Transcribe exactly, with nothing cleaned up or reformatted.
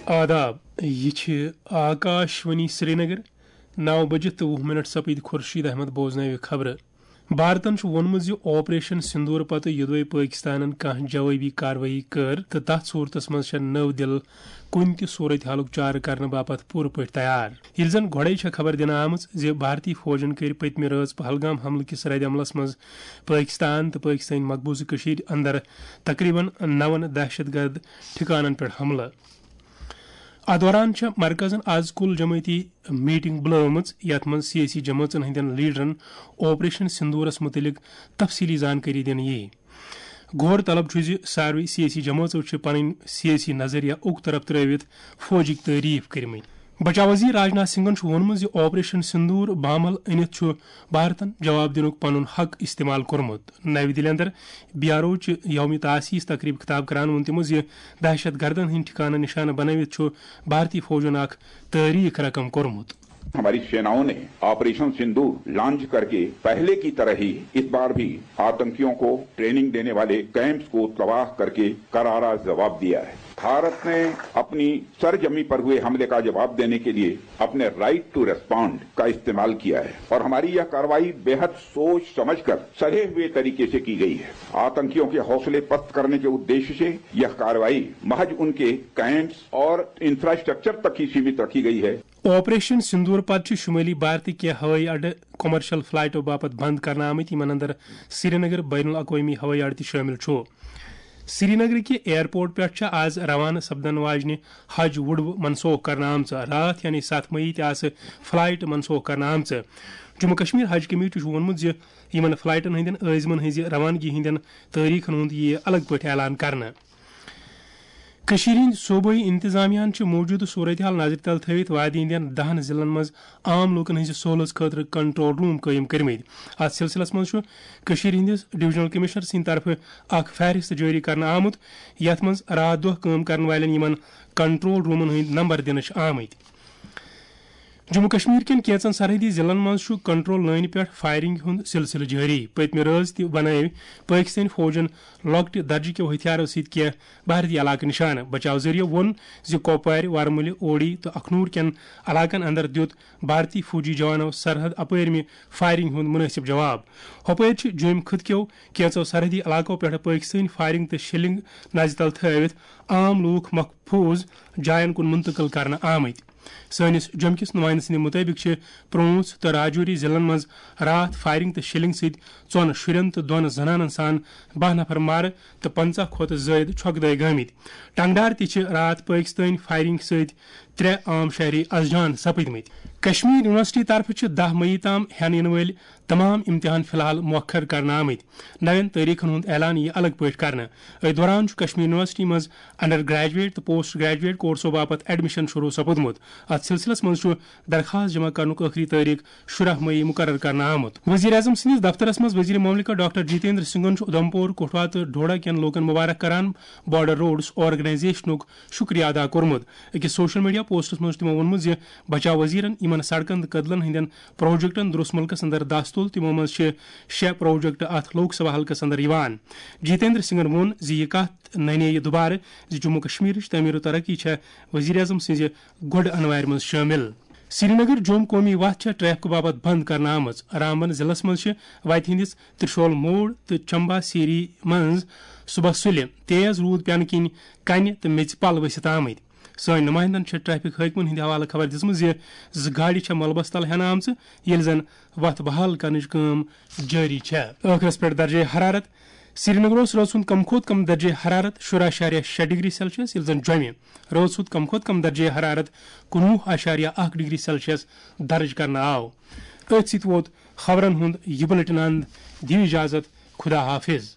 آداب، یہِ چھِ آکاش وانی سرینگر۔ نو بجہِ تہٕ وُہ منٹ سپٕدۍ۔ خورشید احمد بوزنٲوِ خبرٕ۔ بھارتن چھُ ووٚنمُت زِ آپریشن سندور پتہٕ یوٚدوے پٲکستانن کانٛہہ جوٲبی کاروٲیی کٔر تہٕ تتھ صورتس منٛز چھےٚ نٔو دِل کُنہِ تہِ صورت حالُک چارٕ کرنہٕ باپتھ پوٗرٕ پٲٹھۍ تیار۔ ییٚلہِ زن گۄڈے چھےٚ خبر دِنہٕ آمٕژ زِ بھارتی فوجن کٔرۍ پٔتمہِ رٲژ پہلگام حملہٕ کِس ردِ عملس منٛز پٲکستان تہٕ پٲکستٲنۍ مقبوضہٕ کٔشیٖرِ اندر تقریباً نون دہشت گرد ٹھکانن پٮ۪ٹھ حملہٕ۔ اتھ دوران چھےٚ مرکزن از کل جمٲعتی میٹنگ بُلٲومٕژ، یتھ منٛز سیٲسی جمٲژن ہٕنٛدٮ۪ن لیڈرن آپریشن سندورس مُتعلق تفصیلی زانکٲری دِنہٕ یِیہِ۔ غور طلب چھُ زِ ساروٕے سیٲسی جمٲژو چھِ پنٕنۍ سیٲسی نظریہ اُک طرف ترٲوِتھ فوجٕکۍ تعریف کٔرمٕتۍ۔ بچاو وزیر راجناتھ سنگھن چھُ ووٚنمُت زِ آپریشن سندور بامل أنِتھ چھُ بھارتن جواب دِنُک پنُن حق استعمال کوٚرمُت۔ نَوِ دِلہِ اندر بی آر او چہِ یوم تاسیس تقریب خطاب کران ووٚن تِمو زِ دہشت گردن ہٕنٛدۍ ٹھکانہٕ نشانہٕ بنٲوِتھ چھُ بھارتی فوجن اکھ تٲریخ رقم کوٚرمُت۔ ہماری سیناؤں نے آپریشن سندور لانچ کر کے پہلے کی طرح ہی اس بار بھی آتنکیوں کو ٹریننگ دینے والے کیمپس کو تباہ کر کے کرارا جواب دیا ہے۔ بھارت نے اپنی سرزمین پر ہوئے حملے کا جواب دینے کے لیے اپنے رائٹ ٹو ریسپونڈ کا استعمال کیا ہے اور ہماری یہ کارروائی بے حد سوچ سمجھ کر سلے ہوئے طریقے سے کی گئی ہے۔ آتنکیوں کے حوصلے پست کرنے کے ادیش سے یہ کارروائی محض ان کے کیمپس اور انفراسٹرکچر تک ہی سیمت رکھی گئی ہے۔ آپریشن سندور پتہٕ چھِ شمٲلی بھارتٕکۍ کینٛہہ ہوٲیی اڈٕ کمرشل فلائٹو باپتھ بند کرنہٕ آمٕتۍ، یِمن اندر سرینگر بین الاقوٲمی ہوٲیی اڈٕ تہِ شٲمِل چھُ۔ سرینگرٕکہِ ایئرپورٹ پٮ۪ٹھ چھےٚ آز روانہٕ سپدن واجنہِ حج وُڈوٕ منسوخ کرنہٕ آمژٕ۔ راتھ یعنی ستھ مئی تہِ آسہٕ فلائٹ منسوخ کرنہٕ آمژٕ۔ جموں کشمیر حج کمیٹی چھُ ووٚنمُت زِ یِمن فلائٹن ہٕنٛدٮ۪ن عٲزمن ہٕنٛزِ روانگی ہٕنٛدٮ۪ن تٲریخن ہُنٛد یِیہِ الگ پٲٹھۍ اعلان کرنہٕ۔ کٔشیٖرِ ہٕنٛدۍ صوبٲئی انتظامیہ ہن چھِ موٗجوٗدٕ صورتحال نظرِ تل تھٲوِتھ وادی ہٕنٛدٮ۪ن دَہن ضلعن منٛز عام لوٗکن ہٕنٛزِ سہوٗلژ خٲطرٕ کنٹرول روم قٲیِم کٔرمٕتۍ۔ اتھ سلسلس منٛز چھُ کٔشیٖرِ ہٕنٛدِس ڈویژنل کمشنر سٕنٛدِ طرفہٕ اکھ فہرست جٲری کرنہٕ آمُت، یتھ منٛز راتھ دۄہ کٲم کرن والٮ۪ن یِمن کنٹرول رومن ہٕنٛدۍ نمبر دِنہٕ چھِ آمٕتۍ۔ جموں کشمیر کٮ۪ن کینٛژن سرحدی ضلعن منٛز چھُ کنٹرول لٲنہِ پٮ۪ٹھ فائرنگ ہُنٛد سلسلہٕ جٲری۔ پٔتمہِ رٲژ تہِ بنٲوۍ پٲکستٲنۍ فوجن لۄکٹہِ درجہٕ کیو ہتھیارو سۭتۍ کینٛہہ بھارتی علاقہٕ نشانہٕ۔ بچاو ذٔریعہٕ ووٚن زِ کۄپوارِ، ورمُلہِ، اوڑی تہٕ اکھنوٗر کٮ۪ن علاقن اندر دیُت بھارتی فوجی جوانو سرحد اپٲرمہِ فائرنگ ہُنٛد مناسب جواب۔ ہۄپٲرۍ چھِ جوٚمۍ خٕطہٕ کیو کینٛژو سرحدی علاقو پٮ۪ٹھ پٲکستٲنۍ فائرنگ تہٕ شیلنگ نظرِ تل تھٲوِتھ عام لوٗکھ محفوظ جاین کُن منتقل کرنہٕ آمٕتۍ۔ سٲنِس جوٚمہِ کِس نُمٲیندٕ سٕنٛدِ مُطٲبِق چھِ پرونٛژھ تہٕ راجوری ضلعن منٛز راتھ فائرنگ تہٕ شیلنگ سۭتۍ ژۄن شُرٮ۪ن تہٕ دۄن زنانن سان باہ نفر مارٕ تہٕ پنٛژاہ کھۄتہٕ زٲیِد چھۄکہٕ دٲوۍ گٲمٕتۍ۔ ٹنگڈار تہِ چھِ راتھ پٲکستٲنۍ فائرنگ سۭتۍ ترٛےٚ عام شہری از جان سپٕدمٕتۍ۔ کشمیر یونیورسٹی طرفہٕ چھِ دَہ مئی تام ہٮ۪نہٕ یِنہٕ وٲلۍ تمام امتحان فی الحال مۄخر کرنہٕ آمٕتۍ۔ نوٮ۪ن تٲریخن ہُنٛد اعلان یِیہِ الگ پٲٹھۍ کرنہٕ۔ أتھۍ دوران چھُ کشمیر یونیورسٹی منٛز انڈر گریجویٹ تہٕ پوسٹ گریجویٹ کورسو باپتھ ایڈمیشن شروع سپُدمُت۔ اتھ سلسلس منٛز چھُ درخواست جمع کرنُک ٲخری تٲریخ شُراہ مئی مقرر کرنہٕ آمُت۔ وزیر اعظم سٕنٛدِس دفترس منٛز وزیر مملکت ڈاکٹر جتیندر سنگھن چھُ اُدھمپور، کٹھوا تہٕ ڈھوڈا کٮ۪ن لوٗکن مبارک کران بارڈر روڈز آرگنائزیشنُک شکریہ ادا کوٚرمُت۔ أکِس سوشل میڈیا پوسٹس منٛز چھُ تِمو ووٚنمُت زِ بچاو وزیرن یِمن سڑکن تہٕ کدلن ہٕنٛدٮ۪ن پروجیکٹن دروٚس مُلکس اندر دس تُل، تِمو منٛز چھِ شےٚ پروجیکٹ اتھ لوک سبھا حلقس اندر یِوان۔ جتیندر سنگھن ووٚن زِ یہِ کتھ ننے یہِ دوبارٕ زِ جموں کشمیرٕچ تعمیر و ترقی چھےٚ وزیر اعظم سٕنٛزِ گۄڈٕ انوارِ منٛز شٲمِل۔ سرینگر جوم قومی وتھ چھےٚ ٹریفک باپتھ بند کرنہٕ آمٕژ۔ رامبن ضلعس منٛز چھِ وتہِ ہٕنٛدِس ترشول موڑ تہٕ چمبا سیری منٛز صبح سُلہِ تیز روٗد پینہٕ کِنۍ کنہِ تہٕ میٚژِ پل ؤسِتھ آمٕتۍ۔ سٲنۍ نمائندن چھےٚ ٹریفک حٲکمن ہٕنٛدِ حوالہٕ خبر دِژمٕژ زِ زٕ گاڑِ چھےٚ ملبس تل ہٮ۪نہٕ آمژٕ، ییٚلہِ زن وتھ بحال کرنٕچ کٲم جٲری چھےٚ۔ ٲخرس پٮ۪ٹھ درجے حرارت۔ سرینگرس رٲژ ہُنٛد کم کھۄتہٕ کم درجے حرارت شُراہ اعشاریہ شےٚ ڈگری سیلسیس، ییٚلہِ زن جوٚمہِ رٲژ ہُنٛد کم کھۄتہٕ کم درجے حرارت کُنوُہ اعشاریہ اکھ ڈگری سیلسیس درج کرنہٕ آو۔ أتھۍ سۭتۍ ووت خبرن ہُنٛد یہِ بُلٹن اند۔ دِیِو اجازت، خدا حافظ۔